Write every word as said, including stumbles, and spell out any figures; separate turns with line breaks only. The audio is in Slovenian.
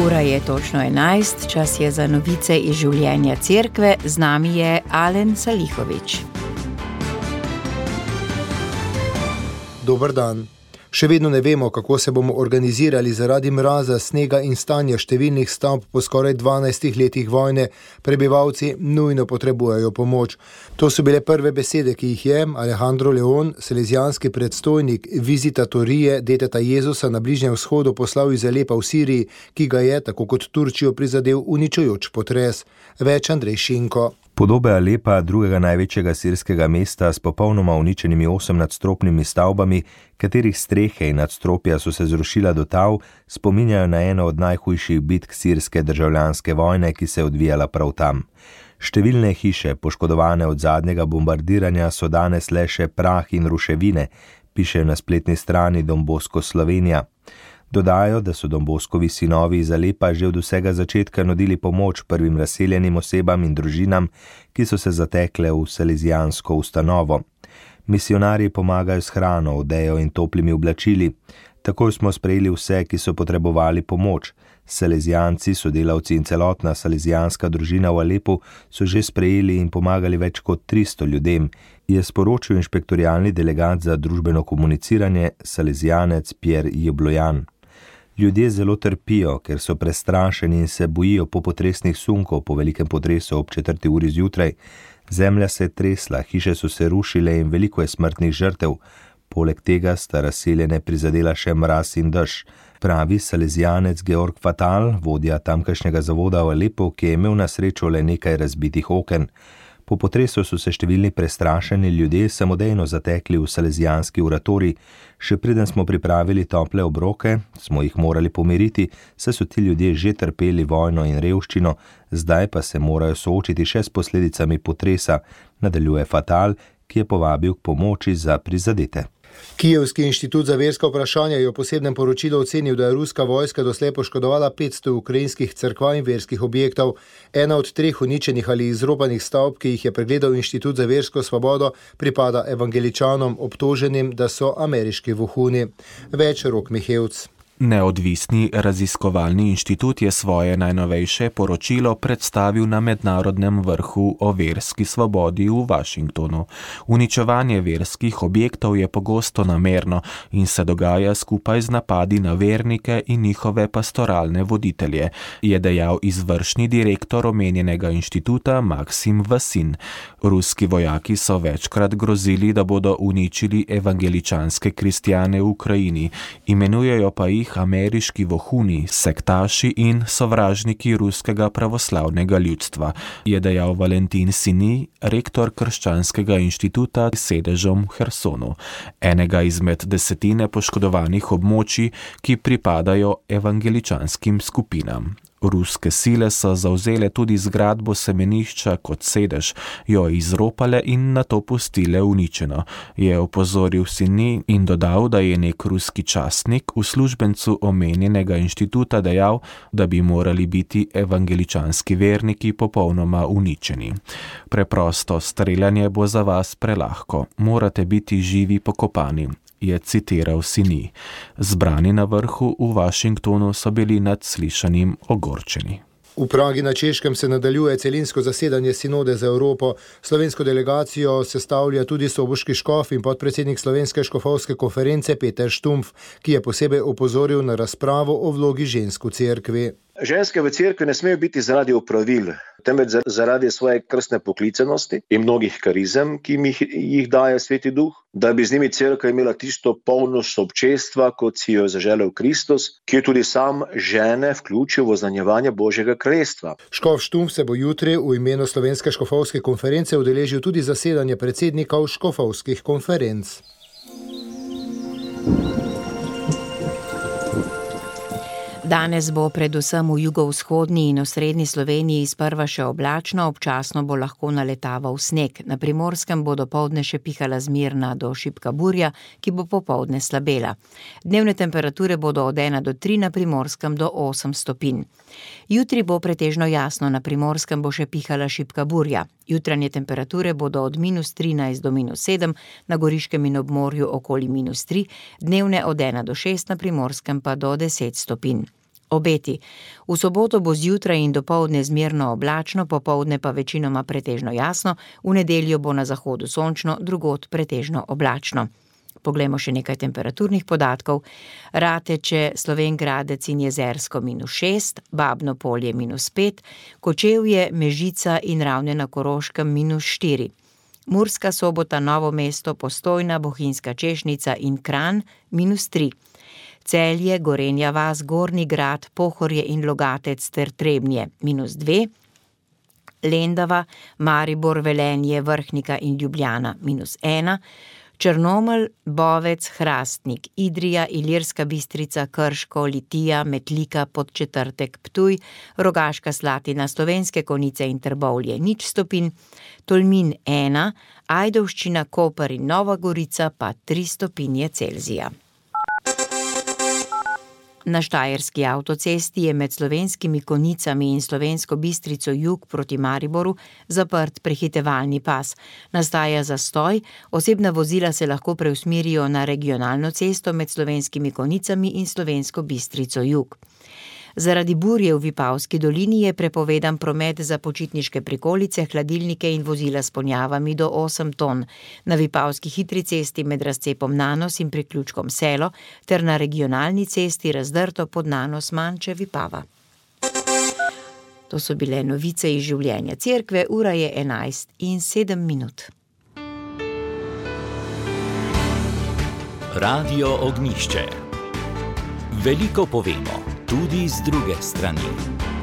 Ura je točno enajst, čas je za novice iz življenja cerkve, z nami je Alen Salihovič.
Dober dan. Še vedno ne vemo, kako se bomo organizirali zaradi mraza, snega in stanja številnih stavb po skoraj dvanajstih letih vojne. Prebivalci nujno potrebujejo pomoč. To so bile prve besede, ki jih je Alejandro Leon, salezijanski predstojnik vizitatorije Deteta Jezusa na Bližnjem vzhodu, poslal iz Alepa v Siriji, ki ga je, tako kot Turčijo, prizadel uničujoč potres. Več Andrej Šinko.
Podobe Alepa, drugega največjega sirskega mesta s popolnoma uničenimi osemnadstropnimi stavbami, katerih strehe in nadstropja so se zrušila do tal, spominjajo na eno od najhujših bitk sirske državljanske vojne, ki se je odvijala prav tam. Številne hiše, poškodovane od zadnjega bombardiranja, so danes le še prah in ruševine, pišejo na spletni strani Don Bosco Slovenija. Dodajo, da so Don Boskovi sinovi iz Alepa že od vsega začetka nudili pomoč prvim razseljenim osebam in družinam, ki so se zatekle v salezijansko ustanovo. Misionarji pomagajo s hrano, odejo in toplimi oblačili. Takoj smo sprejeli vse, ki so potrebovali pomoč. Salezijanci, sodelavci in celotna salezijanska družina v Alepu so že sprejeli in pomagali več kot tristo ljudem, je sporočil inšpektorialni delegat za družbeno komuniciranje, salezijanec Pierre Jeblojan. Ljudje zelo trpijo, ker so prestrašeni in se bojijo popotresnih sunkov po velikem potresu ob četrti uri zjutraj. Zemlja se je tresla, hiše so se rušile in veliko je smrtnih žrtev. Poleg tega sta razseljene prizadela še mraz in dež, pravi salezijanec Georg Fatal, vodja tamkajšnjega zavoda v Alepu, ki je imel na srečo le nekaj razbitih oken. Po potresu so se številni prestrašeni ljudje samodejno zatekli v salezijanski oratorij. Še preden smo pripravili tople obroke, smo jih morali pomiriti, saj so ti ljudje že trpeli vojno in revščino, zdaj pa se morajo soočiti še s posledicami potresa, nadaljuje Fatal, ki je povabil k pomoči za prizadete.
Kijevski inštitut za verska vprašanja je v posebnem poročilu ocenil, da je ruska vojska doslej poškodovala petsto ukrajinskih cerkva in verskih objektov. Ena od treh uničenih ali izropanih stavb, ki jih je pregledal Inštitut za versko svobodo, pripada evangeličanom, obtoženim, da so ameriški vohuni. Več Rok Mihevc.
Neodvisni raziskovalni inštitut je svoje najnovejše poročilo predstavil na mednarodnem vrhu o verski svobodi v Washingtonu. Uničevanje verskih objektov je pogosto namerno in se dogaja skupaj z napadi na vernike in njihove pastoralne voditelje, je dejal izvršni direktor omenjenega inštituta Maksim Vasin. Ruski vojaki so večkrat grozili, da bodo uničili evangeličanske kristjane v Ukrajini, imenujejo pa jih ameriški vohuni, sektaši in sovražniki ruskega pravoslavnega ljudstva, je dejal Valentin Sini, rektor krščanskega inštituta s sedežem v Hersonu, enega izmed desetine poškodovanih območij, ki pripadajo evangeličanskim skupinam. Ruske sile so zavzele tudi zgradbo semenišča kot sedež, jo izropale in nato pustile uničeno, je opozoril Sini in dodal, da je nek ruski častnik uslužbencu omenjenega inštituta dejal, da bi morali biti evangeličanski verniki popolnoma uničeni. Preprosto streljanje bo za vas prelahko, morate biti živi pokopani, je citiral Sini. Zbrani na vrhu v Washingtonu so bili nad slišanim ogorčeni.
V Pragi na Češkem se nadaljuje celinsko zasedanje Sinode za Evropo. Slovensko delegacijo sestavlja tudi soboški škof in podpredsednik Slovenske škofovske konference Peter Štumpf, ki je posebej opozoril na razpravo o vlogi žensk v cerkvi.
Ženske v cerkvi ne smejo biti zaradi opravil, temveč zaradi svoje krstne poklicanosti in mnogih karizem, ki jih, jih daje Sveti Duh, da bi z njimi cerkev imela tisto polnost občestva, kot si jo je zaželel Kristus, ki je tudi sam žene vključil v oznanjevanje Božjega kraljestva.
Škof Štumpf se bo jutri v imenu Slovenske škofovske konference udeležil tudi zasedanje predsednikov škofovskih konferenc.
Danes bo predvsem v jugovzhodni in osrednji Sloveniji sprva še oblačno, občasno bo lahko naletaval sneg. Na Primorskem bo dopoldne še pihala zmerna do šibka burja, ki bo popoldne slabela. Dnevne temperature bodo od ena do tri, na Primorskem do osem stopinj. Jutri bo pretežno jasno, na Primorskem bo še pihala šibka burja. Jutranje temperature bodo od minus trinajst do minus sedem, na Goriškem in obmorju okoli minus tri, dnevne od ena do šest, na Primorskem pa do deset stopinj. Obeti. V soboto bo zjutraj in dopoldne zmerno oblačno, popoldne pa večinoma pretežno jasno, v nedeljo bo na zahodu sončno, drugod pretežno oblačno. Poglejmo še nekaj temperaturnih podatkov. Rateče, Slovenj Gradec in Jezersko minus šest, Babno Polje minus pet, Kočevje, Mežica in Ravne na Koroškem minus štiri. Murska Sobota, Novo mesto, Postojna, Bohinjska Češnica in Kranj minus tri. Celje, Gorenja vas, Gornji Grad, Pohorje in Logatec ter Trebnje minus dve. Lendava, Maribor, Velenje, Vrhnika in Ljubljana minus ena. Črnomelj, Bovec, Hrastnik, Idrija, Ilirska Bistrica, Krško, Litija, Metlika, Podčetrtek, Ptuj, Rogaška Slatina, Slovenske Konjice in Trbovlje nič stopinj, Tolmin ena, Ajdovščina, Koper in Nova Gorica pa tri stopinje Celzija. Na Štajerski avtocesti je med Slovenskimi Konjicami in Slovensko Bistrico jug proti Mariboru zaprt prehitevalni pas. Nastaja zastoj, osebna vozila se lahko preusmerijo na regionalno cesto med Slovenskimi Konjicami in Slovensko Bistrico jug. Zaradi burje v Vipavski dolini je prepovedan promet za počitniške prikolice, hladilnike in vozila s ponjavami do osem ton. Na Vipavski hitri cesti med razcepom Nanos in priključkom Selo ter na regionalni cesti Razdrto pod Nanos Manče Vipava. To so bile novice iz življenja cerkve, ura je enajst in sedem minut.
Radio Ognjišče. Veliko povemo, tudi z druge strani.